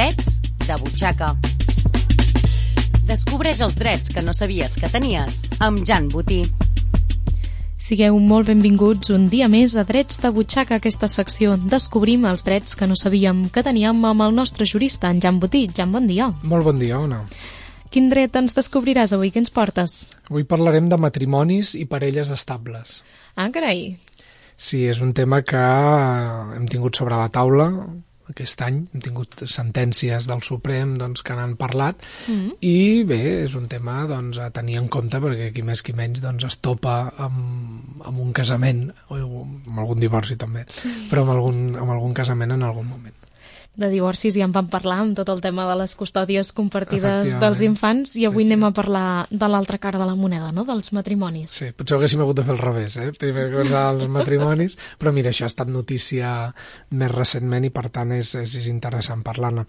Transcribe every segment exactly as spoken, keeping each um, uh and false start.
Drets de butxaca. Descobreix els drets que no sabies que tenies amb Jan Botí. Sigueu molt benvinguts un dia més a Drets de butxaca, aquesta secció. Descobrim els drets que no sabíem que teníem amb el nostre jurista, en Jan Botí. Jan, bon dia. Molt bon dia, Ona. Quin dret ens descobriràs avui? Què ens portes? Avui parlarem de matrimonis i parelles estables. Ah, carai. Sí, és un tema que hem tingut sobre la taula aquest any. Hem tingut sentències del Suprem doncs, que n'han parlat mm. i bé, és un tema doncs, a tenir en compte perquè qui més qui menys doncs, es topa amb, amb un casament o amb algun divorci també, mm. però amb algun, amb algun casament en algun moment. De divorcis ja en vam parlar amb tot el tema de les custòdies compartides dels infants i avui sí, sí. anem a parlar de l'altra cara de la moneda, no? Dels matrimonis. Sí, potser haguéssim hagut de fer el revés, eh? Primer començar els matrimonis, però mira, això ha estat notícia més recentment i per tant és, és, és interessant parlar-ne.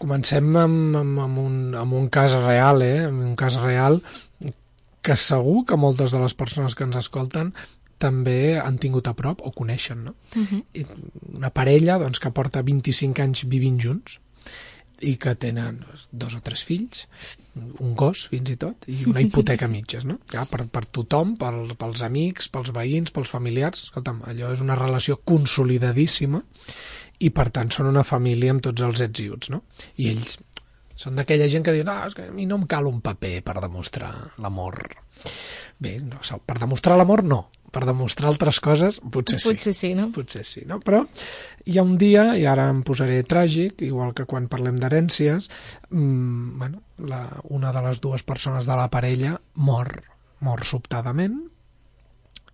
Comencem amb, amb, amb, un, amb un cas real, eh? Amb un cas real que segur que moltes de les persones que ens escolten també han tingut a prop o coneixen, no? Uh-huh. Una parella doncs, que porta vint-i-cinc anys vivint junts i que tenen dos o tres fills, un gos fins i tot, i una hipoteca mitges, no? Ja, per, per tothom, per, pels amics, pels veïns, pels familiars. Escolta'm, allò és una relació consolidadíssima i per tant són una família amb tots els ets i uts, no? I ells són d'aquella gent que diuen ah, és que a mi no em cal un paper per demostrar l'amor. Bé, no, per demostrar l'amor no, per demostrar altres coses potser sí. Potser sí, no? Potser sí, no? Però hi ha un dia, i ara em posaré tràgic, igual que quan parlem d'herències, mmm, bueno, la, una de les dues persones de la parella mor, mor sobtadament,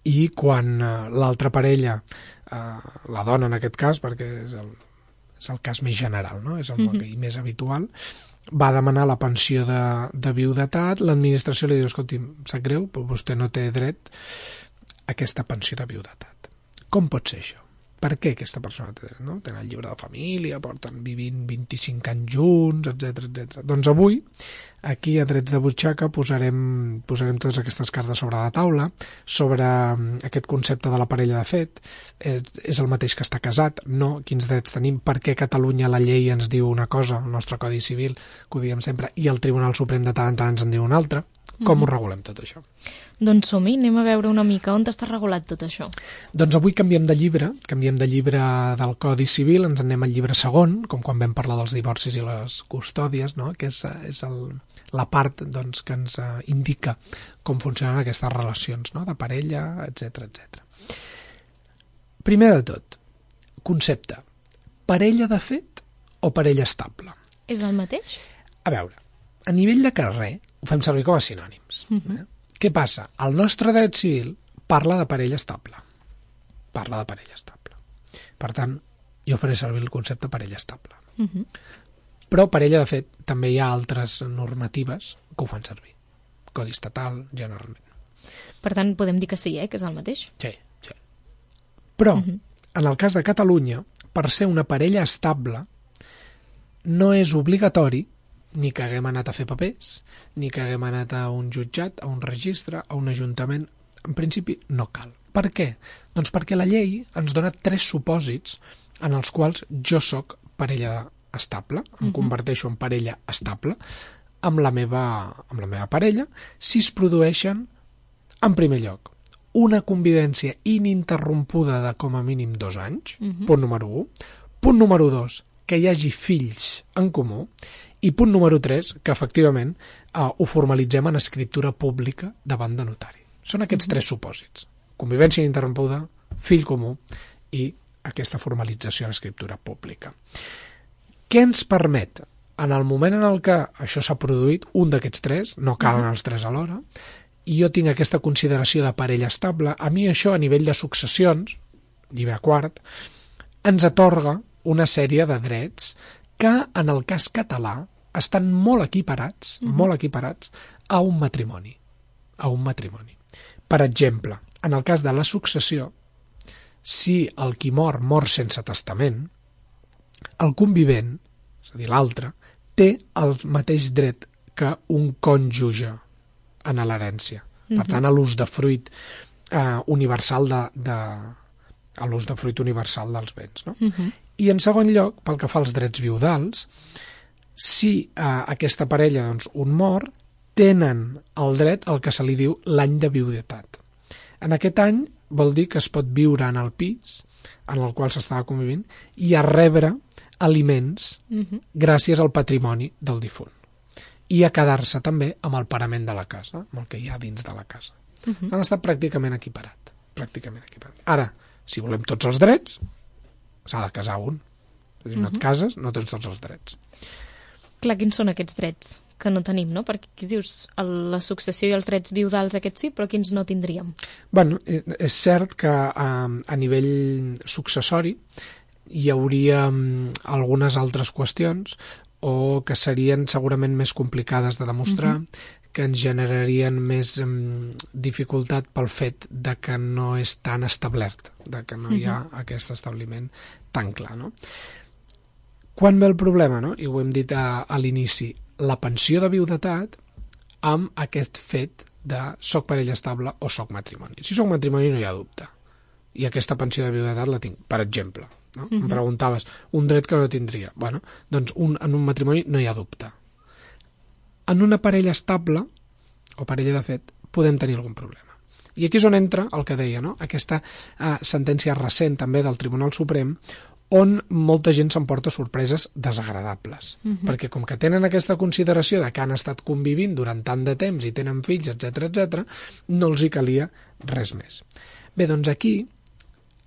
i quan uh, l'altra parella, uh, la dona en aquest cas, perquè és el, és el cas més general, no? És el mm-hmm. i més habitual, va demanar la pensió de, de viudetat, l'administració li diu, escolti, sap greu, però vostè no té dret a aquesta pensió de viudetat. Com pot ser això? Per què aquesta persona té dret? No? Tenen el llibre de família, porten vivint vint-i-cinc anys junts, etcètera, etcètera. Doncs avui, aquí a Drets de butxaca, posarem, posarem totes aquestes cartes sobre la taula, sobre aquest concepte de la parella de fet. És, és el mateix que està casat? No? Quins drets tenim? Per què a Catalunya la llei ens diu una cosa, el nostre Codi Civil, que ho diem sempre, i el Tribunal Suprem de tant en tant ens en diu una altra? Com mm. ho regulem tot això? Doncs som-hi, anem a veure una mica on està regulat tot això. Doncs avui canviem de llibre, canviem de llibre del Codi Civil, ens anem al llibre segon, com quan vam parlar dels divorcis i les custòdies, no? Que és, és el, la part doncs, que ens uh, indica com funcionen aquestes relacions, no? De parella, etcètera, etcètera. Primer de tot, concepte, parella de fet o parella estable? És el mateix? A veure, a nivell de carrer ho fem servir com a sinònims. Uh-huh. Eh? Què passa? El nostre dret civil parla de parella estable. Parla de parella estable. Per tant, jo faré servir el concepte parella estable. Uh-huh. Però parella, de fet, també hi ha altres normatives que ho fan servir. Codi estatal, generalment. Per tant, podem dir que sí, eh? Que és el mateix? Sí, sí. Però, uh-huh. en el cas de Catalunya, per ser una parella estable, no és obligatori ni que haguem anat a fer papers, ni que haguem anat a un jutjat, a un registre, a un ajuntament. En principi, no cal. Per què? Doncs perquè la llei ens dona tres supòsits en els quals jo sóc parella estable, em uh-huh. converteixo en parella estable amb la meva, amb la meva parella, si es produeixen, en primer lloc, una convivència ininterrompuda de com a mínim dos anys, uh-huh. punt número un. Punt número dos, que hi hagi fills en comú. I punt número tres, que efectivament eh, ho formalitzem en escriptura pública davant de notari. Són aquests mm-hmm. tres supòsits. Convivència ininterrompuda, fill comú i aquesta formalització en escriptura pública. Què ens permet? En el moment en el que això s'ha produït, un d'aquests tres, no calen mm-hmm. els tres alhora, i jo tinc aquesta consideració de parella estable, a mi això a nivell de successions, llibre quart, ens atorga una sèrie de drets que en el cas català estan molt equiparats, uh-huh. molt equiparats a un matrimoni. A un matrimoni. Per exemple, en el cas de la successió, si el qui mor mor sense testament, el convivent, és a dir, l'altre, té el mateix dret que un cònjuge en l'herència. Uh-huh. Per tant, a l'ús de fruit eh, universal de, de, a l'ús de fruit universal dels béns. No? Uh-huh. I en segon lloc, pel que fa als drets viudals, si eh, aquesta parella, doncs, un mor, tenen el dret al que se li diu l'any de viudetat. En aquest any vol dir que es pot viure en el pis en el qual s'estava convivint i a rebre aliments uh-huh. gràcies al patrimoni del difunt. I a quedar-se també amb el parament de la casa, amb el que hi ha dins de la casa. Uh-huh. Han estat pràcticament equiparat. Pràcticament equiparat. Ara, si volem tots els drets, s'ha de casar un. Si no uh-huh. et cases, no tens tots els drets. Clar, quins són aquests drets que no tenim, no? Perquè aquí dius la successió i els drets viudals aquests sí, però quins no tindríem? Bueno, és cert que a, a nivell successori hi hauria algunes altres qüestions o que serien segurament més complicades de demostrar, uh-huh. que ens generarien més um, dificultat pel fet de que no és tan establert, de que no uh-huh. hi ha aquest establiment tan clar, no? Quan ve el problema, no? I ho hem dit a, a l'inici, la pensió de viudetat amb aquest fet de soc parella estable o soc matrimoni. Si soc matrimoni no hi ha dubte. I aquesta pensió de viudetat la tinc, per exemple. No? Uh-huh. Em preguntaves, un dret que no tindria. Bueno, doncs un, en un matrimoni no hi ha dubte. En una parella estable, o parella de fet, podem tenir algun problema. I aquí és on entra el que deia, no? Aquesta eh, sentència recent també del Tribunal Suprem, on molta gent s'emporta sorpreses desagradables. Uh-huh. Perquè com que tenen aquesta consideració de que han estat convivint durant tant de temps i tenen fills, etcètera, etcètera, no els hi calia res més. Bé, doncs aquí,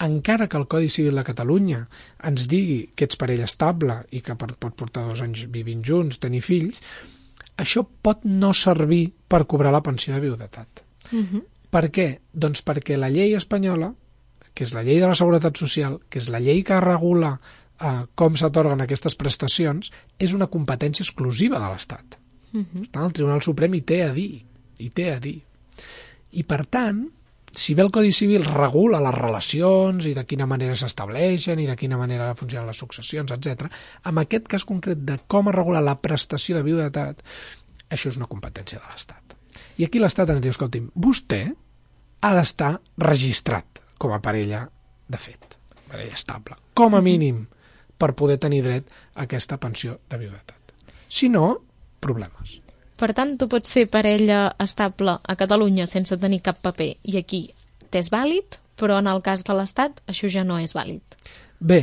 encara que el Codi Civil de Catalunya ens digui que ets parella estable i que pot portar dos anys vivint junts, tenir fills, això pot no servir per cobrar la pensió de viudetat. Uh-huh. Per què? Doncs perquè la llei espanyola, que és la llei de la Seguretat Social, que és la llei que regula eh, com s'atorguen aquestes prestacions, és una competència exclusiva de l'Estat. Uh-huh. El Tribunal Suprem hi té a dir, hi té a dir. I per tant, si bé el Codi Civil regula les relacions i de quina manera s'estableixen i de quina manera funcionen les successions, etcètera, en aquest cas concret de com es regula la prestació de viudetat, això és una competència de l'Estat. I aquí l'Estat ens diu, escolti'm, vostè ha d'estar registrat com a parella de fet, parella estable, com a mínim per poder tenir dret a aquesta pensió de viudetat. Si no, problemes. Per tant, tu pots ser parella estable a Catalunya sense tenir cap paper i aquí t'és vàlid, però en el cas de l'Estat això ja no és vàlid. Bé,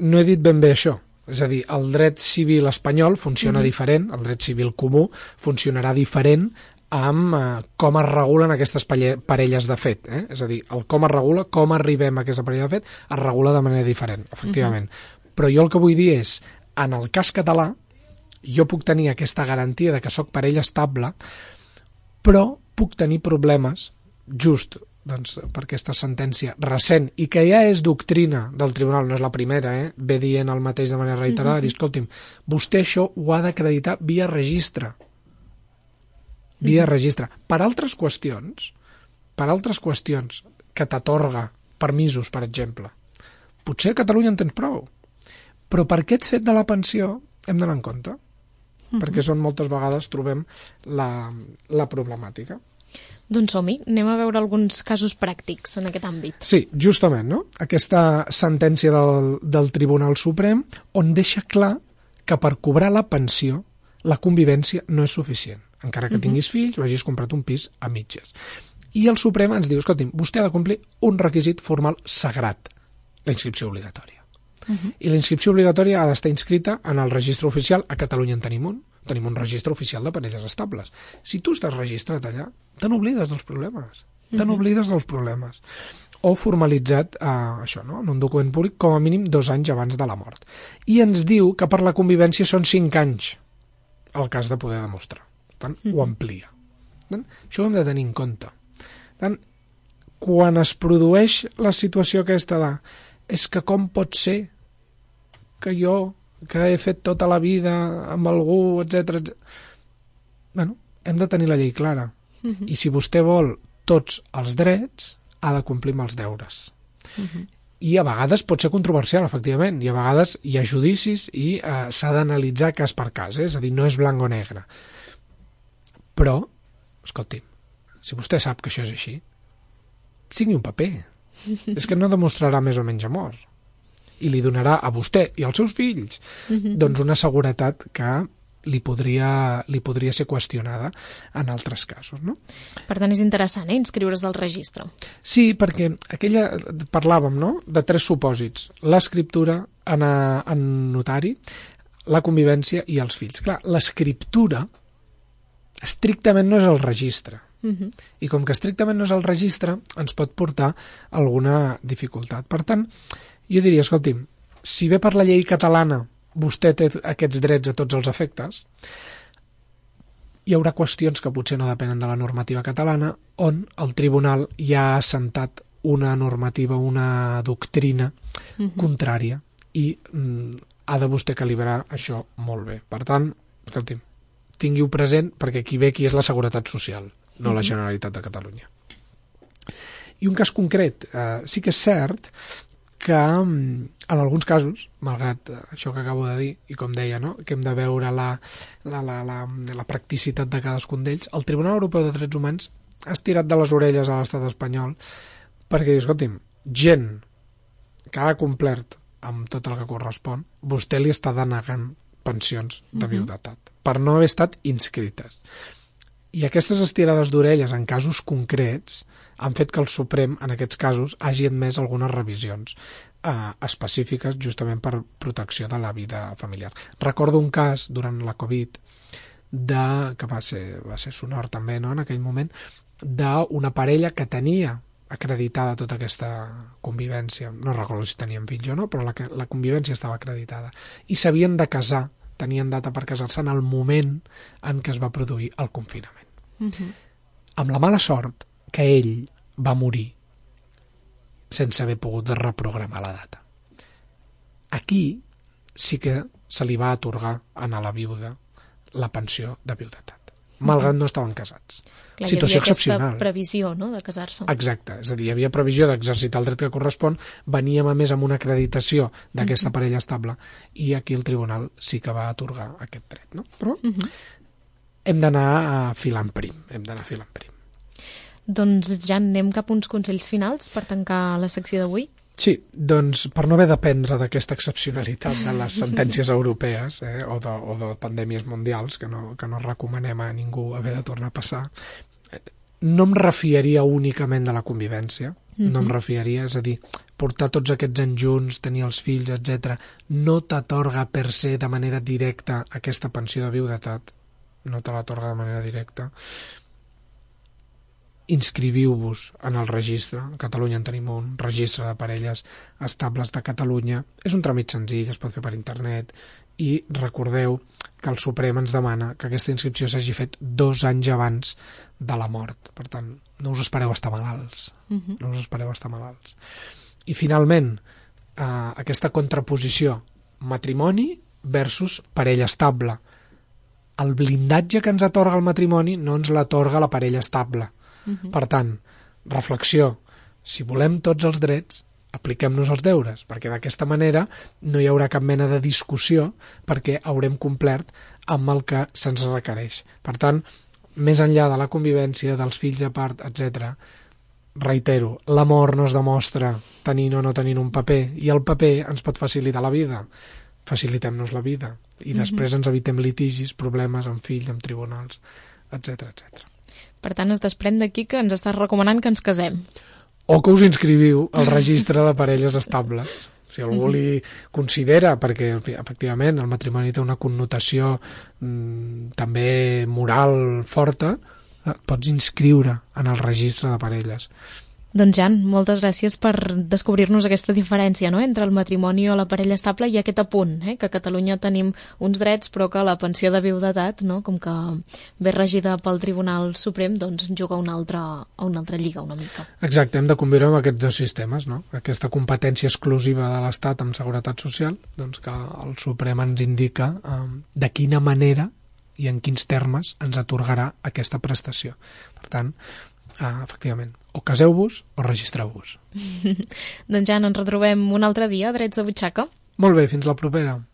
no he dit ben bé això. És a dir, el dret civil espanyol funciona mm-hmm. diferent, el dret civil comú funcionarà diferent amb eh, com es regulen aquestes parelles de fet. Eh? És a dir, el com es regula, com arribem a aquesta parella de fet, es regula de manera diferent, efectivament. Uh-huh. Però jo el que vull dir és, en el cas català, jo puc tenir aquesta garantia de que sóc parella estable, però puc tenir problemes just doncs, per aquesta sentència recent i que ja és doctrina del tribunal, no és la primera, eh? Ve dient el mateix de manera reiterada, uh-huh. dir, escolti'm, vostè això ho ha d'acreditar via registre. via uh-huh. registre. Per altres qüestions, per altres qüestions que t'atorga permisos, per exemple, potser a Catalunya en tens prou, però per aquest fet de la pensió hem d'anar en compte, uh-huh. perquè és on moltes vegades trobem la, la problemàtica. Doncs som-hi, anem a veure alguns casos pràctics en aquest àmbit. Sí, justament, no? Aquesta sentència del, del Tribunal Suprem on deixa clar que per cobrar la pensió la convivència no és suficient. Encara que uh-huh. tinguis fills o hagis comprat un pis a mitges. I el Suprem ens diu, escolti'm, vostè ha de complir un requisit formal sagrat, la inscripció obligatòria. Uh-huh. I la inscripció obligatòria ha d'estar inscrita en el registre oficial. A Catalunya en tenim un, tenim un registre oficial de parelles estables. Si tu estàs registrat allà, te n'oblides dels problemes. Te n'oblides dels problemes. O formalitzat, eh, això, no? En un document públic, com a mínim dos anys abans de la mort. I ens diu que per la convivència són cinc anys el cas de poder demostrar. Per tant, mm. ho amplia. Per tant, això ho hem de tenir en compte. Per tant, quan es produeix la situació aquesta de és que com pot ser que jo, que he fet tota la vida amb algú, etcètera, bueno, hem de tenir la llei clara. Mm-hmm. I si vostè vol tots els drets, ha de complir amb els deures. Mm-hmm. I a vegades pot ser controversial, efectivament, i a vegades hi ha judicis i eh, s'ha d'analitzar cas per cas, eh? És a dir, no és blanc o negre. Però, escolti'm, si vostè sap que això és així, signi un paper. És que no demostrarà més o menys amor. I li donarà a vostè i als seus fills doncs una seguretat que li podria, li podria ser qüestionada en altres casos, no? Per tant, és interessant, eh, inscriure's al registre. Sí, perquè aquella parlàvem, no?, de tres supòsits: l'escriptura en, a, en notari, la convivència i els fills. Clar, l'escriptura estrictament no és el registre. Uh-huh. I com que estrictament no és el registre, ens pot portar alguna dificultat. Per tant, jo diria, escolti'm, si bé per la llei catalana vostè té aquests drets a tots els efectes, hi haurà qüestions que potser no depenen de la normativa catalana, on el tribunal ja ha assentat una normativa, una doctrina uh-huh. contrària, i mm, ha de vostè calibrar això molt bé. Per tant, escolti'm, tingui-ho present, perquè aquí ve qui és la Seguretat Social, no la Generalitat de Catalunya. I un cas concret, eh, sí que és cert que en alguns casos, malgrat això que acabo de dir, i com deia, no?, que hem de veure la, la, la, la, la practicitat de cadascun d'ells, el Tribunal Europeu de Drets Humans ha estirat de les orelles a l'estat espanyol perquè diu, escolti'm, gent que ha complert amb tot el que correspon, vostè li està denegant pensions de viudetat, uh-huh. per no haver estat inscrites. I aquestes estirades d'orelles en casos concrets han fet que el Suprem, en aquests casos, hagi admès algunes revisions eh, específiques justament per protecció de la vida familiar. Recordo un cas durant la Covid, de, que va ser, va ser sonor també, no?, en aquell moment, d'una parella que tenia acreditada tota aquesta convivència. No recordo si tenien fills o no, però la, la convivència estava acreditada. I s'havien de casar, tenien data per casar-se en el moment en què es va produir el confinament. Uh-huh. Amb la mala sort que ell va morir sense haver pogut reprogramar la data. Aquí sí que se li va atorgar a la viuda la pensió de viudetat, malgrat no estaven casats. Clar, situació hi havia excepcional. aquesta previsió, no?, de casar-se. Exacte, és a dir, hi havia previsió d'exercitar el dret que correspon, veníem a més amb una acreditació d'aquesta uh-huh. parella estable, i aquí el tribunal sí que va atorgar aquest dret, no? Però uh-huh. hem d'anar filant prim, hem d'anar filant prim. Doncs ja anem cap a uns consells finals per tancar la secció d'avui. Sí, doncs per no haver d'aprendre d'aquesta excepcionalitat de les sentències europees eh, o, de, o de pandèmies mundials, que no, que no recomanem a ningú haver de tornar a passar, no em refiaria únicament de la convivència, mm-hmm. no em refiaria, és a dir, portar tots aquests anys junts, tenir els fills, etcètera, no t'atorga per se de manera directa aquesta pensió de viudetat, no te l'atorga de manera directa. Inscriviu-vos en el registre. A Catalunya en tenim un registre de parelles estables de Catalunya. És un tràmit senzill, es pot fer per internet, i recordeu que el Suprem ens demana que aquesta inscripció s'hagi fet dos anys abans de la mort. Per tant, no us espereu estar malalts. Uh-huh. No us espereu estar malalts. I finalment, eh, aquesta contraposició matrimoni versus parella estable. El blindatge que ens atorga el matrimoni no ens l'atorga la parella estable. Uh-huh. Per tant, reflexió, si volem tots els drets, apliquem-nos els deures, perquè d'aquesta manera no hi haurà cap mena de discussió perquè haurem complert amb el que se'ns requereix. Per tant, més enllà de la convivència, dels fills a part, etcètera, reitero, l'amor no es demostra tenint o no tenint un paper, i el paper ens pot facilitar la vida. Facilitem-nos la vida i uh-huh. després ens evitem litigis, problemes amb fills, amb tribunals, etcètera, etcètera. Per tant, es desprèn d'aquí que ens estàs recomanant que ens casem. O que us inscriviu al registre de parelles estables. Si algú li considera, perquè efectivament el matrimoni té una connotació mmm, també moral forta, et pots inscriure en el registre de parelles. Doncs Jan, moltes gràcies per descobrir-nos aquesta diferència, no?, entre el matrimoni o la parella estable i aquest apunt, eh? Que a Catalunya tenim uns drets però que la pensió de viudetat, no?, com que ve regida pel Tribunal Suprem, doncs juga una altra, a una altra lliga una mica. Exacte, hem de conviure amb aquests dos sistemes, no? Aquesta competència exclusiva de l'Estat amb seguretat social, doncs que el Suprem ens indica eh, de quina manera i en quins termes ens atorgarà aquesta prestació. Per tant, Ah, efectivament, o caseu-vos o registreu-vos. Doncs ja ens retrobem un altre dia a Drets de Butxaca. Molt bé, fins la propera.